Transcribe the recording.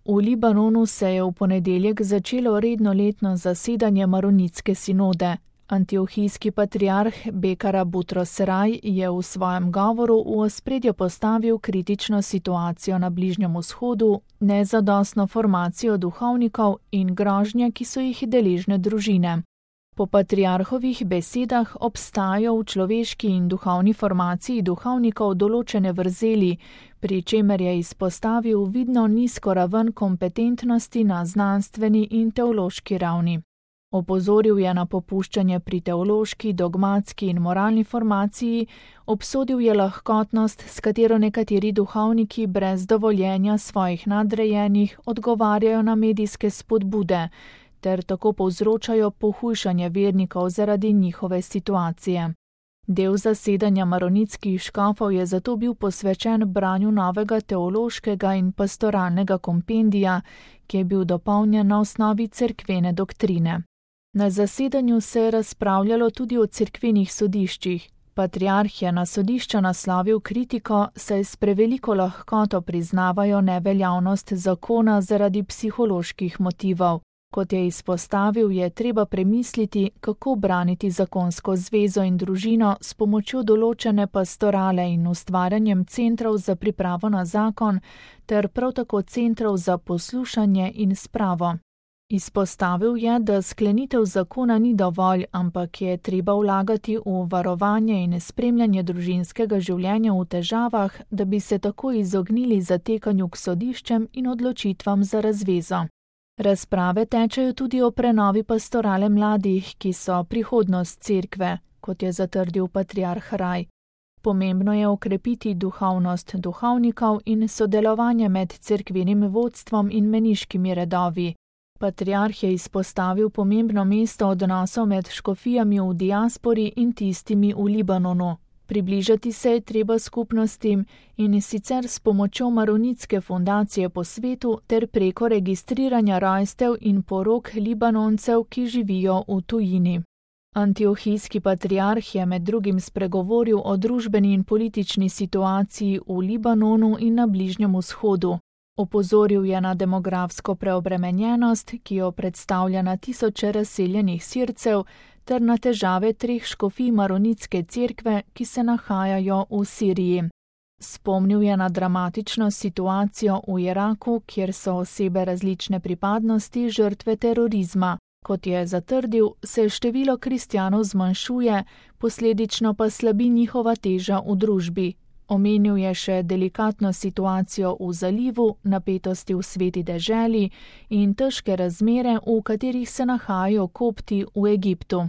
V Libanonu se je v ponedeljek začelo redno letno zasedanje Maronitske sinode. Antiohijski patriarh Bekara Butros Seraj je v svojem govoru v ospredje postavil kritično situacijo na Bližnjem vzhodu, nezadostno formacijo duhovnikov in grožnje, ki so jih deležne družine. Po patriarhovih besedah obstajajo v človeški in duhovni formaciji duhovnikov določene vrzeli, pri čemer je izpostavil vidno nizko raven kompetentnosti na znanstveni in teološki ravni. Opozoril je na popuščanje pri teološki, dogmatski in moralni formaciji, obsodil je lahkotnost, s katero nekateri duhovniki brez dovoljenja svojih nadrejenih odgovarjajo na medijske spodbude, ter tako povzročajo pohujšanje vernikov zaradi njihove situacije. Del zasedanja maronitskih škofov je zato bil posvečen branju novega teološkega in pastoralnega kompendija, ki je bil dopolnjen na osnovi cerkvene doktrine. Na zasedanju se je razpravljalo tudi o cerkvenih sodiščih. Patriarh je na sodišča naslovil kritiko, saj s preveliko lahkoto priznavajo neveljavnost zakona zaradi psiholoških motivov. Kot je izpostavil, je treba premisliti, kako braniti zakonsko zvezo in družino s pomočjo določene pastorale in ustvarjanjem centrov za pripravo na zakon, ter prav tako centrov za poslušanje in spravo. Izpostavil je, da sklenitev zakona ni dovolj, ampak je treba vlagati v varovanje in spremljanje družinskega življenja v težavah, da bi se tako izognili zatekanju k sodiščem in odločitvam za razvezo. Razprave tečejo tudi o prenovi pastorale mladih, ki so prihodnost cerkve, kot je zatrdil patriarh Raj. Pomembno je okrepiti duhovnost duhovnikov in sodelovanje med cerkvenim vodstvom in meniškimi redovi. Patriarh je izpostavil pomembno mesto odnosov med škofijami v diaspori in tistimi v Libanonu. Približati se je treba skupnostim in sicer s pomočjo Maronitske fundacije po svetu ter preko registriranja rojstev in porok Libanoncev, ki živijo v tujini. Antiohijski patriarh je med drugim spregovoril o družbeni in politični situaciji v Libanonu in na Bližnjem vzhodu. Opozoril je na demografsko preobremenjenost, ki jo predstavlja na tisoče razseljenih Sircev, ter na težave 3 škofij Maronitske cerkve, ki se nahajajo v Siriji. Spomnil je na dramatično situacijo v Iraku, kjer so osebe različne pripadnosti žrtve terorizma. Kot je zatrdil, se število kristjanov zmanjšuje, posledično pa slabi njihova teža v družbi. Omenil je še delikatno situacijo v zalivu, napetosti v Sveti deželi in težke razmere, v katerih se nahajajo Kopti v Egiptu.